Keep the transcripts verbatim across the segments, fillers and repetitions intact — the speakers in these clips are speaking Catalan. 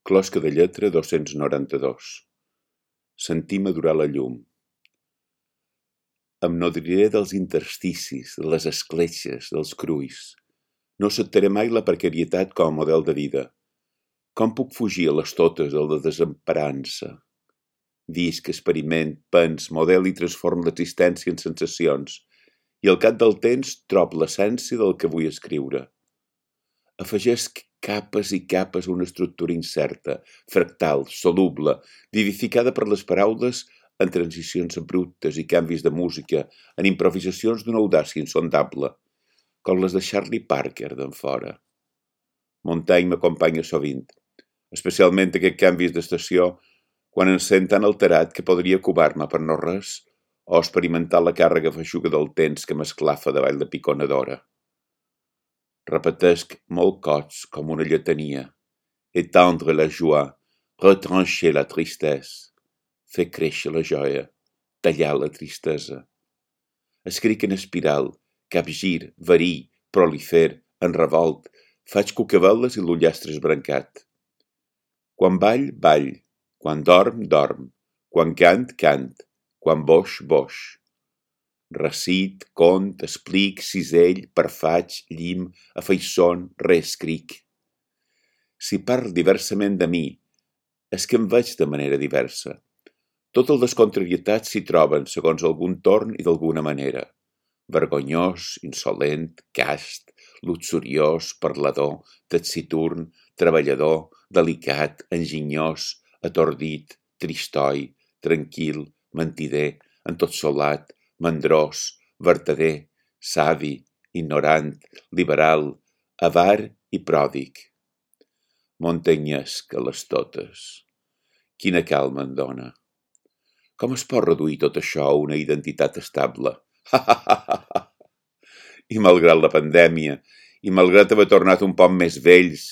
Closca de lletra dos-cents noranta-dos. Sentir madurar la llum. Em nodriré dels intersticis, de les escletxes, dels crulls. No acceptaré mai la precarietat com a model de vida. Com puc fugir a les totes de la desemparança? Visc, experiment, pens, model i transformo l'existència en sensacions, i al cap del temps trob l'essència del que vull escriure. Afegesc capes i capes a una estructura incerta, fractal, soluble, vivificada per les paraules en transicions abruptes i canvis de música, en improvisacions d'una audàcia insondable, com les de Charlie Parker d'en fora. Montaigne m'acompanya sovint, especialment aquests canvis d'estació, quan em sent tan alterat que podria cubar-me per no res o experimentar la càrrega feixuga del temps que m'esclafa davall de picona d'hora. Repetesc molt cots com una lletania. Étendre la joie, retrancher la tristesse, fer créixer la joia, tallar la tristesa. Escric en espiral, capgir, verí, prolifer, en revolt, faig cucaveles i l'ullastre esbrancat. Quan ball, ball, quan dorm, dorm, quan cant, cant, quan boix, boix. Recit, cont, explic, cisell, parfaig, llim, afaiçon, reescric. Si parlo diversament de mi, és que em veig de manera diversa. Totes les contrarietats s'hi troben segons algun torn i d'alguna manera. Vergonyós, insolent, cast, luxuriós, parlador, taciturn, treballador, delicat, enginyós, atordit, tristoi, tranquil, mentider, entotsolat, mandrós, vertader, savi, ignorant, liberal, avar i pròdig. Montanyesc a les totes. Quina calma em dona. Com es pot reduir tot això a una identitat estable? I malgrat la pandèmia, i malgrat haver tornat un poc més vells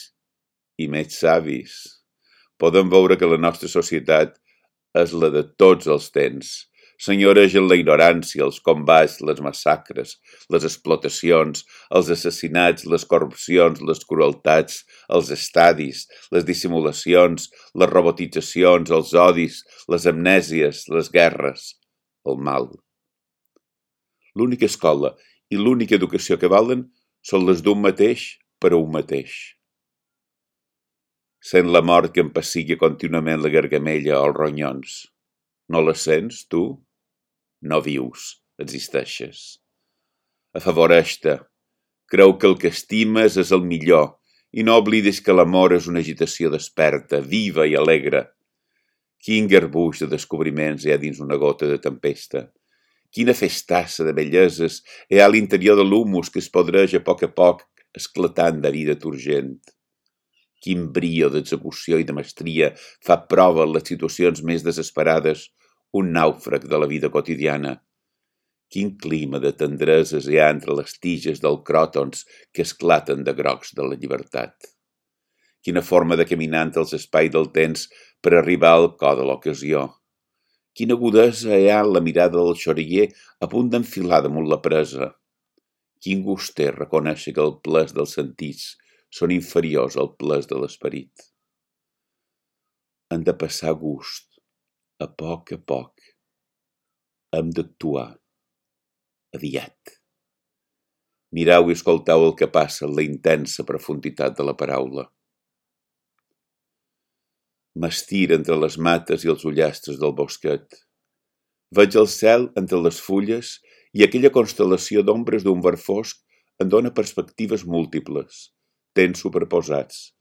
i més savis, podem veure que la nostra societat és la de tots els temps. Senyoregen la ignorància, els combats, les massacres, les explotacions, els assassinats, les corrupcions, les crueltats, els estadis, les dissimulacions, les robotitzacions, els odis, les amnèsies, les guerres, el mal. L'única escola i l'única educació que valen són les d'un mateix per a un mateix. Sent la mort que em pessigui contínuament la gargamella o els ronyons. No la sents, tu? No vius, existeixes. Afavoreix-te. Creu que el que estimes és el millor i no oblidis que l'amor és una agitació desperta, viva i alegre. Quin garbuix de descobriments hi ha dins una gota de tempesta. Quina festassa de belleses hi ha a l'interior de l'humus que es podreja a poc a poc esclatant de vida turgent. Quin brio d'execució i de mestria fa prova en les situacions més desesperades un nàufrag de la vida quotidiana. Quin clima de tendreses hi ha entre les tiges dels cròtons que esclaten de grocs de la llibertat. Quina forma de caminar entre els espais del temps per arribar al cor de l'ocasió. Quina agudesa hi ha en la mirada del xoriguer a punt d'enfilar damunt la presa. Quin gust té reconèixer que el ples dels sentits són inferiors al ples de l'esperit. Hem de passar gust, a poc a poc. Hem d'actuar, aviat. Mireu i escolteu el que passa en la intensa profunditat de la paraula. M'estiro entre les mates i els ullastres del bosquet. Veig el cel entre les fulles i aquella constel·lació d'ombres d'un verd fosc em dona perspectives múltiples, temps superposats,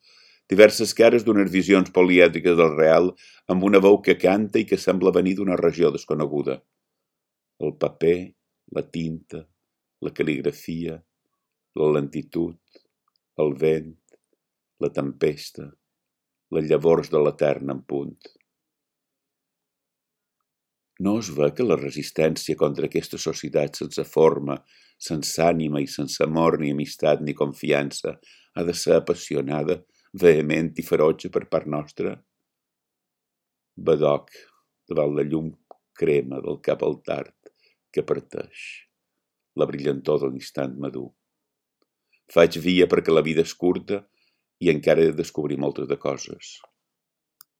diverses cares d'unes visions polièdriques del real amb una veu que canta i que sembla venir d'una regió desconeguda. El paper, la tinta, la cal·ligrafia, la lentitud, el vent, la tempesta, les llavors de l'etern en punt. No es ve que la resistència contra aquesta societat sense forma, sense ànima i sense amor ni amistat ni confiança ha de ser apassionada, vehement i ferotge per part nostra? Badoc, davant la llum crema del cap al tard que parteix, la brillantor de l'instant madur. Faig via perquè la vida és curta i encara he de descobrir moltes de coses.